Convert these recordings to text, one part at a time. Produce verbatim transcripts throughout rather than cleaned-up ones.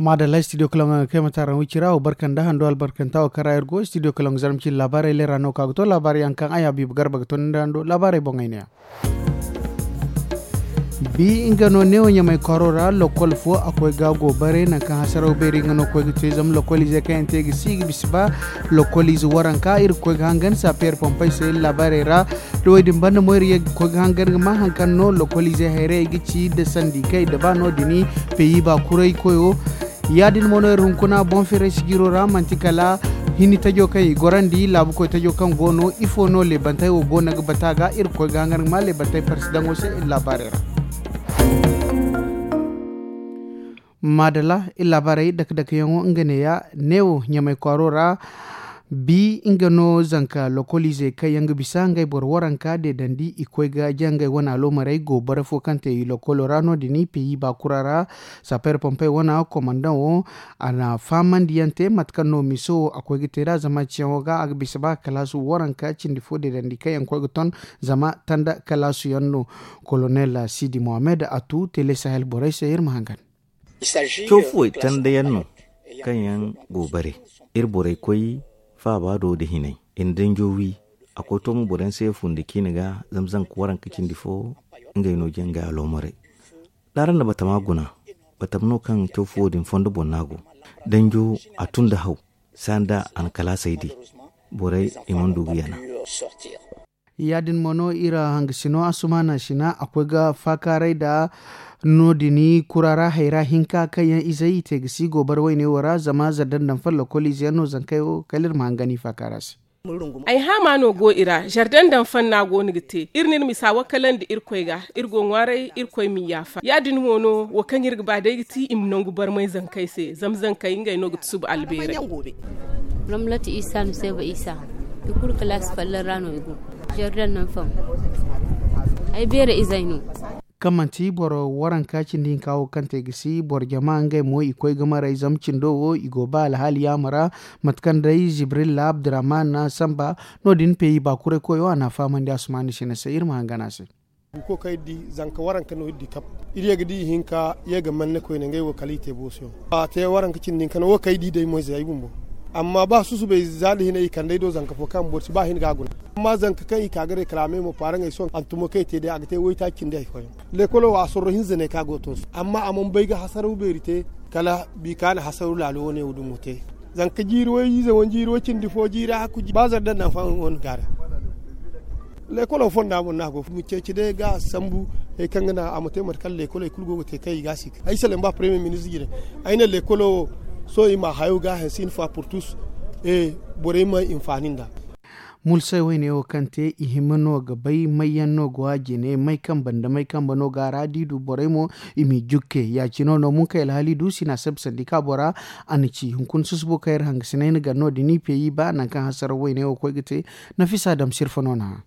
Maadalla studio kalaŋ ga kay mataaraŋ wicira wo barka nda hando albarkanta wo kaŋ ra iri go studio kalaŋ ga zarma cindi laabaarey leera no ka ga to laabaarey yaŋ kaŋ ay habiibu garba ga to ni nda hando laabaarey boŋey ne ya. Bi nga no neewo ɲamay kwaaro ra lokol fo a koy ga go bare nangu kaŋ hasaraw beeri nga no koy ga te zama lokol ize kaŋ yaŋ te ga si ga bisa ba lokol ize waranka iri ga koy ga hangan sapeer pompey se iri laabaarey ra. Da wo- din banda mo iri ye ga koy ga hangan ga ma hari kaŋ no lokol ize hayrayey ga ci nda sandi kaŋ i daba no- din peyi ba kuray koyo. Ya- din mo no iri hunkuna boŋ feeray sijiro ra manti kala hini tajo kaŋ i gorandi laabu koy tajo kaŋ go no ifo no leebantey wo go no ga bata ga iri ga koy ga hangan ga ma leebantey parsidaŋo se iri laabaarey ra. Maadalla iri laabaarey dake dake yaŋo nga neeya neewo ɲamay kwaaro ra. Bi nga no zanka lokol ize kaŋ yaŋ ga bisa ngey boro waranka deedandi i koy ga jangey wane aloomarey go bare fo kaŋ te i lokolo ra no- din peyi baakura ra. Sapeer pompey wane komandaŋo a na fahamandi yaŋ te mate kaŋ no miso wo a koy ga te nd'a zama ciyaŋo ga a ga bisa ba kalaasu waranka cindi fo deedandi kaŋ yaŋ koy ga ton zama tanda kalaasu yaŋ no. Kolonel sidi mohammed a tu tele sahel borey se iri ma hangan. Cawfuwey tandayaŋ no kaŋ yaŋ go bare. Iri borey koy faaba do nda hinay i na danjo wi. A koy to mo boro yaŋ se fundi ciine ga zama zanka waranka cindi fo ngey no jangay aloomaray. D'araŋ na batama guna batam no kaŋ cawfuwo din fondo boŋ no a go. Danjo a tun nda haw sanda a na kalaasey di borey i mana du ga yana. Ya- din mo no iri hangasino asumaana sina a koy ga faakaaray nda no- din kura ra hayra hinka kaŋ yaŋ izey i te ga si gobara wayne wo ra zama zardan daŋ follo kol ize yaŋ no zankey wo kala iri ma hangan i faakaara se. Ay haama no go i ra zardan daŋ fanna go no ga te iri na iri misa wakalandi irkoy ga iri go ŋwaaray irkoy ma i yaafa ya- din mo no wo kaŋ iri ga ba day ga ti i ma nangu barmay zankey se zama zankey ngey no ga tusuba albeeray. Ramlat isa nuseba isa i kulu kalaasi fallan ra no i go. Jordan naŋ faŋ ay beera izey no. Kaŋ manti boro waranka cindi hinka wo kaŋ te ga si boro jama ngey mo i koy ga maray zama cindo wo i go ba alhaali yaama ra. Mate kaŋ day zibrilla abdurrahman samba no- din peyi baakuray koyo a na a fahamandi asumaani sina se iri ma hangan a se. Buko kaŋ iri di zanka waranka no iri di kab. Iri ye ga di ihinka ye ga manne koyne ngey wo kala i te booso yaŋ a te waranka cindi hinka no wo kaŋ ay di day mo ize ay bumbo. Amma ba susubay za nda hinay i kand'ey do zanka fo kaŋ boro si ba hin ga a guna. Amma zanka kaŋ i ka ga reklame mo paaraŋey sohõ hantumo kaŋ i te day a ga te waytaaci cindi hari fooyaŋ. Leekolo wo a sorro hinza ne kaŋ a go ga to se amma a mana bay ga hasaraw beeri te. Kala bi kaŋ a na hasaraw laalo wane wo dumo te. Zanka jiiri way ize wane jiiri way cindi fo jiiri hakku ba zara daŋ naŋ faŋ wane gaara. Leekolo fonda mo no a go ga ceeci day ga a sambu. Hari kaŋ ga naŋ a ma te mate kaŋ leekoley kulu go ga te kaŋ i ga a si ay salaŋ ba paremiye ministre jine. Ay ne leekolo wo sohõ i ma hayo ga a hanse ine fa purtus. Borey ma hinfaani nd'a. Mulsay wayne wo kaŋ te i hima no ga bay may yaŋ no go a jine may kambe nda may kambe no go a ra da i du borey mo i m'i jukke. Ya- cine no munkay alhaali du sina sabi sandi kaabo ra. A na ci hunkuna susubo kaŋ iri hangasinay na gar no- din i peyi ba nangu kaŋ hasaraw wayne wo koy ga te. Nafisa dam sirfa no na hã.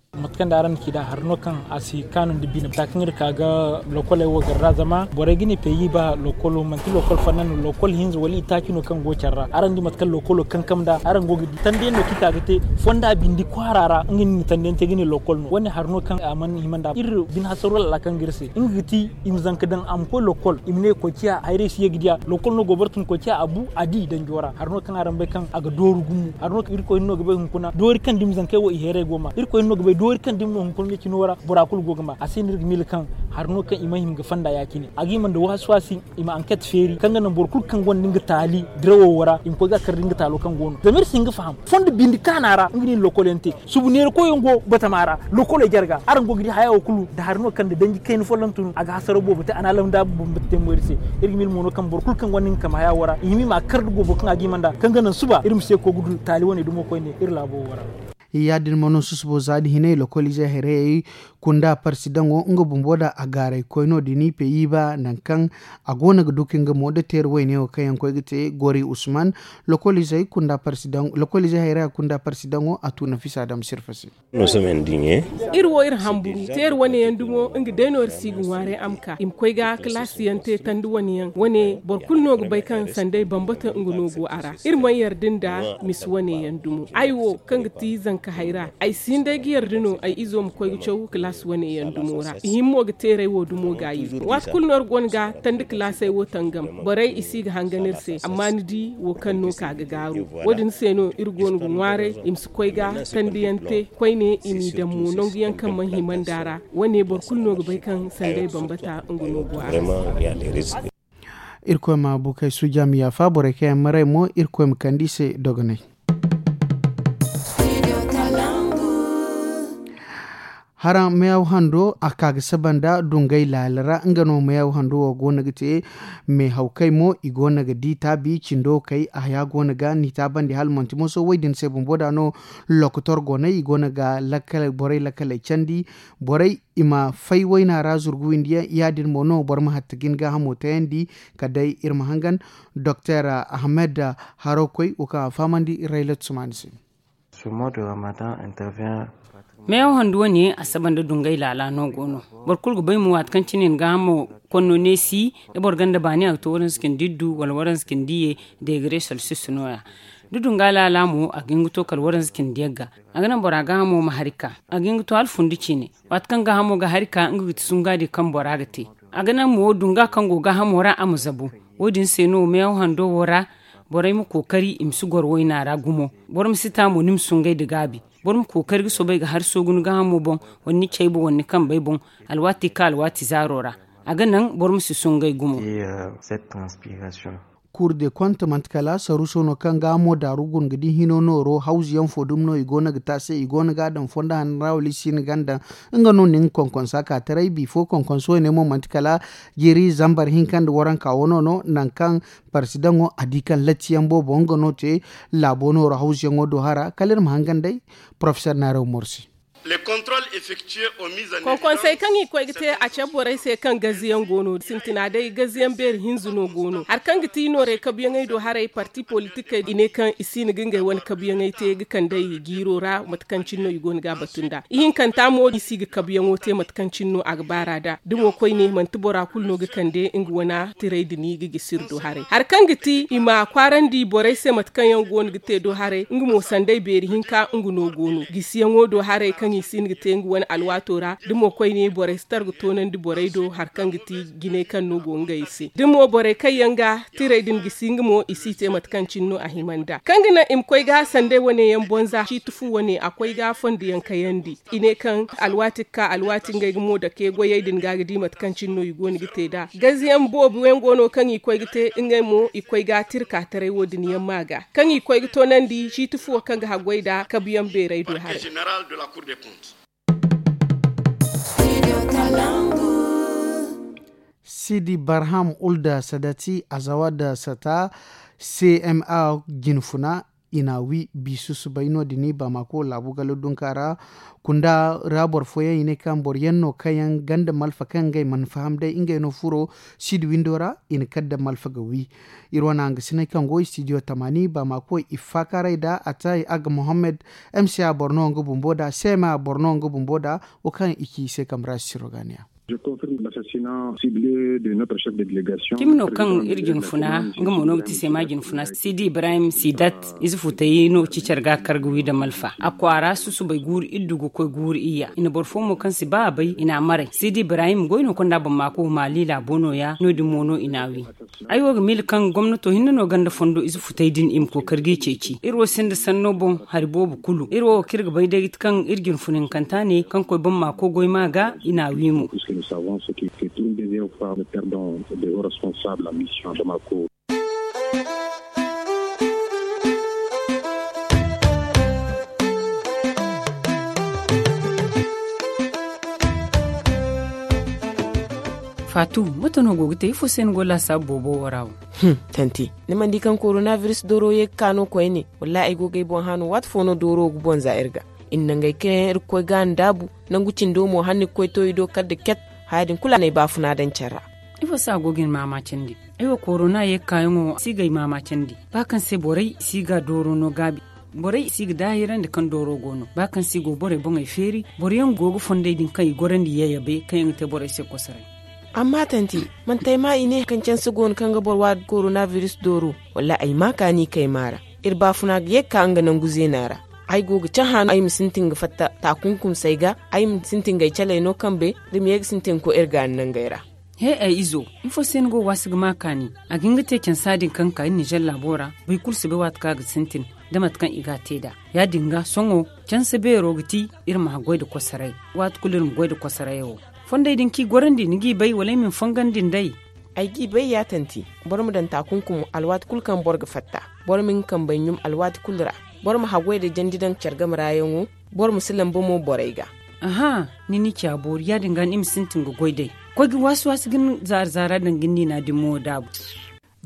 Mate kaŋ day araŋ na ci nd'a hari no kaŋ a si kaanu nda bine bata kaŋ iri ka ga lokoley wo gar ra zama borey ga ne peyi ba lokolo manti lokol fanna no lokol hinza wala itaaci no kaŋ go care ra araŋ di mate kaŋ lokolo kankam nd'a araŋ go ga di tanda yaŋ no kaŋ i ka ga te. Fonda bindi kwaara ra nga no i na tanda yaŋ te ga ne lokol no wane hari no kaŋ a mana hima nd'a iri bine hasaro laala kaŋ ga iri se nga ga ti i ma zanka daŋ a ma koy lokol i ma ne koy ciya hayray si ye ga diya lokol no go boro tun koy ciya a bu a di danjo ra hari no kaŋ araŋ bay kaŋ a ga dooru gumo hari no kaŋ irkoy no ga bay hunkuna doori kaŋ dumi zankey wo i heeray go ma irkoy no ga bay doori kaŋ dumi no hunkuna me cino ra bora kulu go ga ma a se no iri ga miila kaŋ hari no kaŋ i ma hima ga fonda ya- cine a ga hima nda waasi waasi i ma anket feeri kaŋ ga naŋ boro kulu kaŋ gonda nga taali dirawo wo ra i ma koy ga kar da nga taalo kaŋ go no zama iri si hin ga faham fondo bindi kaana ra nga no i na lokol yaŋ te. Subu neera koyyaŋ go batama ra lokoley jarga araŋ go ga di haya wo kulu nda hari no kaŋ nda danji kayna folloŋ tun a ga hasaraw boobo te a na alamda bumbo te teemo iri se. Iri ga miila mo no kaŋ boro kulu kaŋ gonda nga kama haya wo ra i hima i ma a kar da goobo kaŋ a ga hima nd'a kaŋ ga naŋ suba iri ma se koy ga du taali wane dumo koyne iri laabo wo ra. Ya- din mo no susubo za nda hinay lokol ize hayrayey kunda parsidaŋo nga bumbo nda a gaaray koy no- din i peyi ba nangu kaŋ a go no ga du ka nga mo nda teeri wayne wo kaŋ yaŋ koy ga te gori usman. Lokol ize hayraya kunda parsidaŋo a tu nafisa dam sirfa se. Iri wo iri hamburu teeri wane yaŋ dumo nga day no iri si ga ŋwaaray a ma ka i ma koy ga kalaasi yaŋ te tandi wane yaŋ wane boro kulu no ga bay kaŋ sanday bambata nga no go a ra. Iri mana yarda nda misi wane yaŋ dumo ay wo kaŋ ga ti zanka Ka hayra ay si hin day ga yarda no ay izo ma koy ga caw kalaasi wane yaŋ dumo ra i hin mo ga teeray wo dumo ga yi. Waati kulu no iri go no ga tandi kalaasey wo tangam. Borey i si ga hangan iri se amma ni di wo kaŋ no ka ga gaaru. Wo- din se no iri go no ga ŋwaaray i ma si koy ga tandi yaŋ te koyne i m'i daŋ mo nangu yaŋ kaŋ mana hima nd'a ra. Wane boro kulu no ga bay kaŋ sanday bambata nga no go a ra. Irkoy ma bukey suuja ma yaafa borey kaŋ yaŋ maray mo irkoy ma kande i se dogonay. Haraŋ meeyaw hando a ka ga saba nda dungay laala ra nga no meeyaw hando wo go no ga te. Meehawkey mo i go no ga di taabi cindo kay a haya go no ga ni taabandi hala manti moso wo- din se bumbo da no. Lokotor go no i go no ga borey lakkaley candi. Borey i ma fay wayna ra zurgu windi yaŋ ya- din mo no boro ma hatta ga ni gaahamo tayandi. Kala day iri ma hangan doktor ahmed harokoy wo kaŋ a fahamandi raylat sumaani se. Meeyaŋ handu wane a saba nda dungay laala no go no. Boro kulu ga bay mo waati kaŋ cine ni gaahamo konno neesi da boro ganda baani a ga to waranza cindi iddu wala waranza cindi ye. Deegare salsis no- ya da dunga laala mo a ga hin ga to kala waranza cindi yagga. A ga naŋ bora gaahamo ma hari ka a ga hin ga to hala fundi ciine. Waati kaŋ gaahamo ga hari ka nga ga ti sungaadi kaŋ bora ga te. A ga naŋ mo dunga kaŋ go gaahamo ra a ma zabu. Wo- din se no meeyaŋ hando wo ra borey ma kookari i ma si goro wayna ra gumo. Boro ma si ta mo ni ma sungay nda gaabi. Boro ma kookari ga soobay ga hari soogu ni gaahamo boŋ wala ni cayba wala ni kambey boŋ. Alwaati ka alwaati zaaro ra a ga naŋ boro ma si sungay gumo. Kuur de kont manti kala saruuso no kaŋ ga mo daaru guna ga di hino nooro hawzu yaŋ fo dumi no i go no ga te a se i go no ga a daŋ fondo hanno ra wala i si hin ga a daŋ. Nga no na nga konkonsa ka taray bifo konkonso ne mo manti kala jiiri zambar hinka nda waranka wano no nangu kaŋ parsidaŋo a di kaŋ latti yaŋ boobo nga no te. Laabo nooro hawzu yaŋo do hara kala iri ma hangan day. Porofesor naaraw morsi. Konkonsey kaŋ i koy ga te a cabe borey se kaŋ gaziyaŋ go no sintina day gaziyaŋ beeri hinza no go no hari kaŋ ga ti noorey kabuyaŋey do haray parti politikey i ne kaŋ i si no ga ngey wane kabuyaŋey te ga kand'ey jiiro ra mate kaŋ cine no i go no ga a batu nd'a ihinkanta mo i si ga kabuyaŋo te mate kaŋ cine no a ga baar'a nd'a da mo koyne manti bora kulu no ga kande nga wane tiray din ga gisi iri do haray hari kaŋ ga ti i ma kwaarandi borey se mate kaŋ yaŋ go no ga te do haray nga mo sanday beeri hinka nga no go no gisiyaŋo do haray kaŋ i si no ga te nga wane alwaato ra da mo koyne borey si tar ga toonandi borey do hari kaŋ ga ti jinay kaŋ no go ngey se da mo borey kaŋ yaŋ ga tiray din gisi nga mo i si te mate kaŋ cine no a hima nd'a kaŋ ga naŋ i ma koy ga sanday wane yaŋ bonza ciiti fu wane a koy ga fondo yaŋ kayandi i ne kaŋ alwaati ga ka alwaati ngey ga mo dake goyey din ga ga di mate kaŋ cine no i go no ga te nd'a gaziyaŋ boobo yaŋ go no kaŋ i koy ga te ngey mo i koy ga tirka taray wo- din yaŋ ma ga kaŋ i koy ga toonandi ciiti fuwo kaŋ ga haggoy nd'a kabuyaŋ beerey do haray. Sidi barham ulda sadati azawa da sata cma jinfuna i na wi bi susubay no- din bamako laabu galo dunka ra. Kunda ra boro fooyaŋ i ne kaŋ boro yaŋ no kaŋ yaŋ ganda malfa kaŋ ngey mana faham day ngey no furo sidi windo ra i na kala da malfa ga wi. Iri wane hangasiney kaŋ go studio tamani bamako i faakaaray da atay aga mohammed mca boro no nga bumbo da cma boro no nga bumbo da wo kaŋ i ci i se kamra siro ga ne ya. Cimi no kaŋ iri jinfuna nga mo no ga ti sema jinfuna sidi ibrahim sidat ize futay no cicar ga kar ga wi da malfa a kwaara susubay guuru iddu ga koy guuru iyya i na boro fo mo kaŋ si ba a bay i na a maray sidi ibrahim goy no konda bamako maali laabo no- ya no- din mo no i na a wi. Ay wo ga miila kaŋ gomnato hinne no ganda fondo ize futay din i ma kookari g'i ceeci iri wo sinda sanno boŋ hari boobo kulu iri wo kaŋ iri ga bay day ga ti kaŋ iri jinfuna hinkanta ne kaŋ koy bamako goy ma ga i na a wi mo. Faatu, mate no go ga te ifo se ni go laasaabu boobo wo ra wo? Tanti, ni mana di kaŋ korona biris dooro ye ga ka no koyne? Wallahi ay go ga ay boŋ hã no waati fo no dooro ga bonza iri ga. I na nangey kaŋ yaŋ iri ga koy ga a ndaabu, nangu cindo mo hala ni ga koy to i do kala nda ket. Haya din kulu a na ay baafuna daŋ care ra. Ifo se a go ga ni maama candi? Ay wo korona ye ga kaayaŋo si ga ay maama candi. Ba kaŋ se borey si ga dooro no gaabi. Borey si ga daahirandi kaŋ dooro go no ba kaŋ se i go borey boŋey feeri. Boro yaŋ go ga fondey din kaŋ i gorandi yayabe kaŋ yaŋ ga te borey se kosoray. Amma tanti, manti ay ma i ne kaŋ canse go no kaŋ ga boro waadi korona biris dooro? Wallaahi ay ma kaani kay maara. Iri baafuna ga ye ga ka nga nangu zeena ra. Ay go ga cahã no ay ma sintin ga fatta taakunkumsey ga. Ay ma sintin ga ay caley no kambe da ma ye ga sintin ga koy iri gaani nangey ra. He, ay izo, ifo se ni go ga waasi ga maa kaani? A ga hin ga te cansa din kaŋ ka iri ninzeer laabo ra. Boro kulu si bay waati kaŋ a ga sintin da mate kaŋ i ga a te nd'a. Ya- din ga sohõ cansa beero ga ti iri ma haggoy nda kosoray. Waati kulu iri ma goy nda kosoray wo. Fondey din kaŋ i gorandi ni g'i bay wala ay ma ni fongandi nd'ey? Ay g'i bay ya tanti. Boro ma daŋ taakunkum alwaati kulu kaŋ boro ga fatta. Boro ma hin ga kambey ɲum alwaati kulu ra. Boro ma haggoy nda jandi daŋ care game ra yaŋo. Boro ma si lamba mo borey ga. Aha, ni n'i ci a boori ya- din ga no i ma sintin ga goy d'ey. Koy ga waasi waasi ga ni zaara zaara daŋ ga ni niina din mo daabu.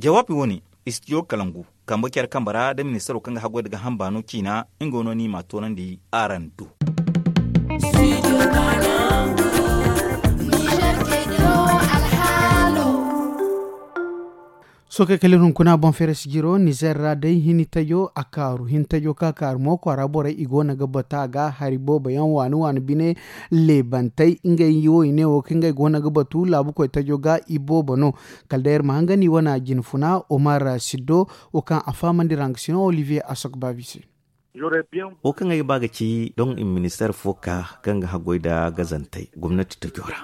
Jawaabi wo- ne, istijo kalangu kambe care kambe ra da ministaro kaŋ ga haggoy nda gaaham baano ciina. Nga no no ni m'a toonandi araŋ do. Sookey kala iri hunkuna boŋ feere sijiro nizeer ra day hini tajo a kaaru hini tajo kaŋ a kaaru mo kwaara borey i go no ga batu a ga hari boobo yaŋ waani waani bine. Leebantey ngey wo i ne wo kaŋ ngey go no ga batu laabu koy tajo ga i boobo no. Kala day iri ma hangan i wane jinfuna omar siddo wo kaŋ a fahamandi ra nga sino olivier asok baabi se. Wo kaŋ ay ga ba ga ci doŋ i ma ministeer fo ka kaŋ ga haggoy nda gazantey gomnati tajo ra.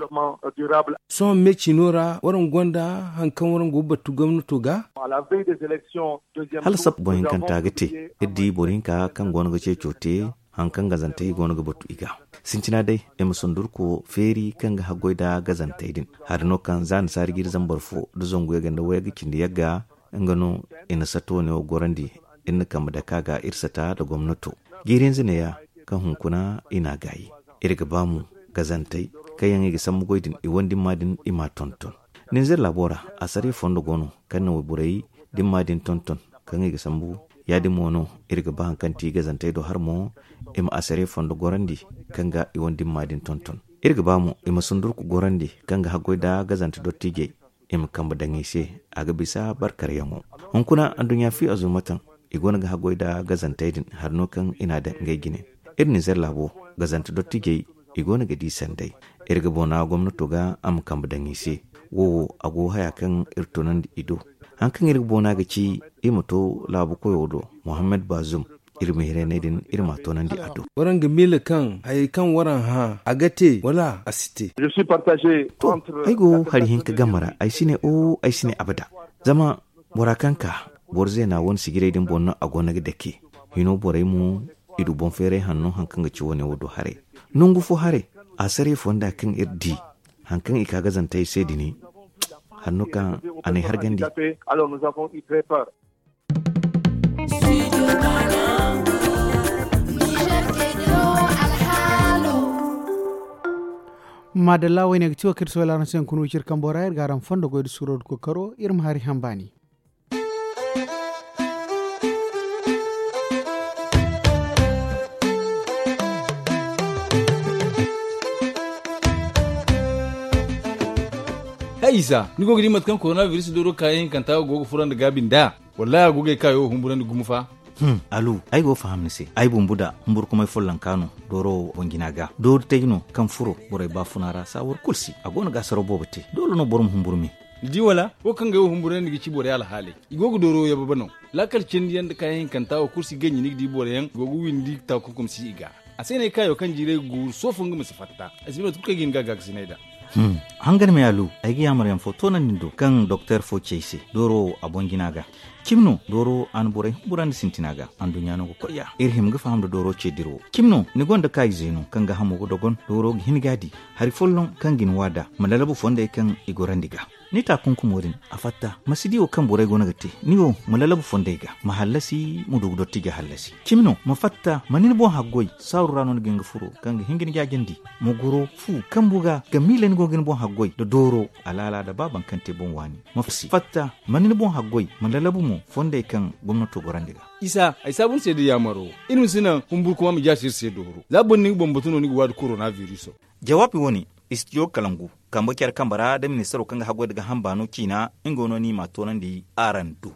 Sohõ me ciino ra waraŋ gonda hari kaŋ waraŋ go ga batu gomnato ga. Hala sap boro hinkanta ga te iri di boro hinka kaŋ go no ga ceeco te. Hari kaŋ gazantey go no ga batu i ga sintina day i ma sundurko feeri kaŋ ga haggoy nda gazantey din. Hari no kaŋ za annasaari ga iri zambar fo nda zangu yagga nda wayagga cindi yagga. Nga no i na sato ne wo gorandi. Iri na kambe dake a ga iri sata nda gomnato. Jiiri hinza neeya kaŋ hunkuna i n'a gaayi. Iri ga ba mo gazantey kaŋ yaŋ i ga sambu goy din i wane dimma din i m'a tonton. Ninzeer laabo ra asariya fondo go no kaŋ na wayborey dimma din tonton kaŋ i ga sambu. Ya- din mo no iri ga ba hari kaŋ ti gazantey do hari mo i ma asariya fondo gorandi kaŋ ga i wane dimma din tonton. Iri ga ba mo i ma sundurku gorandi kaŋ ga haggoy nda gazante dottiijey i ma kambe daŋ i se. A ga bisa barkaryaŋo hunkuna adduɲɲa fi azuumataŋ. I go no ga haggoy nda gazantey din hari no kaŋ i n'a daŋ ngey jine. Iri ninzeer laabo gazante dottiijey i go no ga di sanday. Iri ga boona gomnato ga a ma kambe daŋ i se. Wo wo a go haya kaŋ iri tunandi i do. Hari kaŋ iri ga boona ga ci i ma to laabu koyo do muhammad baazum. Iri ma hiray ne din iri m'a toonandi a do. Waraŋ ga miila kaŋ hayey kaŋ waraŋ hã a ga te wala a si te? To, ay go hari hinka game ra ay si ne o ay si ne abada. Zama bora kaŋ ka boro zeena wane sijirey din boŋ no a go no ga dake. Hino borey mo i du boŋ feeray hanno hari kaŋ ga ci wane wo do haray. Nangu fo haray a saray fonda kaŋ iri di hari kaŋ i ka gazantey se dini. Hanno kaŋ a n'ay hargandi. Maadalla wayne ga ti wo kaŋ iri sohõ laaraŋ se hunkuna wiciri kambo ra iri ga araŋ fondo goy nda suuro nda kookaro iri ma hari haŋ baani. Hay isa ni go ga di mate kaŋ korona biris dooro kaayaŋ hinkanta go ga furandi gaabi nd'a? Wallaahi a go ga ay kaayo wo humburandi gumo fa. Alu, ay go ga faham ni se. Ay bumbo da humburkumay follonka no dooro wo boŋ jina ga doori tay no kaŋ furo borey baafuna ra saawar kulu si a go no ga asaraw boobo te. Doole no boro ma humburu me. Ni di wala wo kaŋ ga ay wo humburandi ga ci borey alhaaley. I go ga dooro wo yababa no. Laakal cindi yaŋ nda kaayaŋ hinkanta wo kulu si ganji ni ga di boro yaŋ go ga windi taakunkum si i ga. A se no ay kaayo kaŋ jiiray ga guuru soofo nga ma si fatta. Ay si bay mate kulu kaŋ ay ga hin ga a gaakasinay nd'a. Hangan me alu, ay ga yaamar yaŋ fo toonandi ni do kaŋ doktor fo ci ay se dooro wo a boŋ jina ga. Cimi no dooro a na borey humburandi sintina ga anduɲɲa no ga koy ya iri hima ga faham nda dooro ce dirawo. Cimi no ni gonda kaayize no kaŋ gaahamo ga dogon dooro ga hin ga a di hari folloŋ kaŋ ga ni waada ma lalabu fondey kaŋ i gorandi ga. Ni taakunkumo din a fatta ma si di wo kaŋ borey go no ga te. Ni wo ma lalabu fondey ga ma hallasi ma du ga dottija hallasi. Cimi no ma fatta ma ni ni boŋ haggoy saaru ra no ni ga hin ga furo kaŋ ga hin ga ni jaajandi. Ma goro fu kambu ga ga miila ni go ga ni boŋ haggoy nda dooro alaala nda ba baŋ kaŋ te boŋ waani. Ma fatta ma ni ni boŋ haggoy ma lalabu mo fondey kaŋ gomnato gorandi ga. Isa ay saabu ni se da yaamaro iri ma si naŋ humburkuma ma jaasi iri se dooro za boro ni ga boŋ batu no ni ga waadi korona viriso. Jawaabi wo-ne, istijo kalangu kambe care kambe ra nda ministaro kaŋ ga haggoy nda gaaham baano ciina. Nga no no i m'a toonandi araŋ do.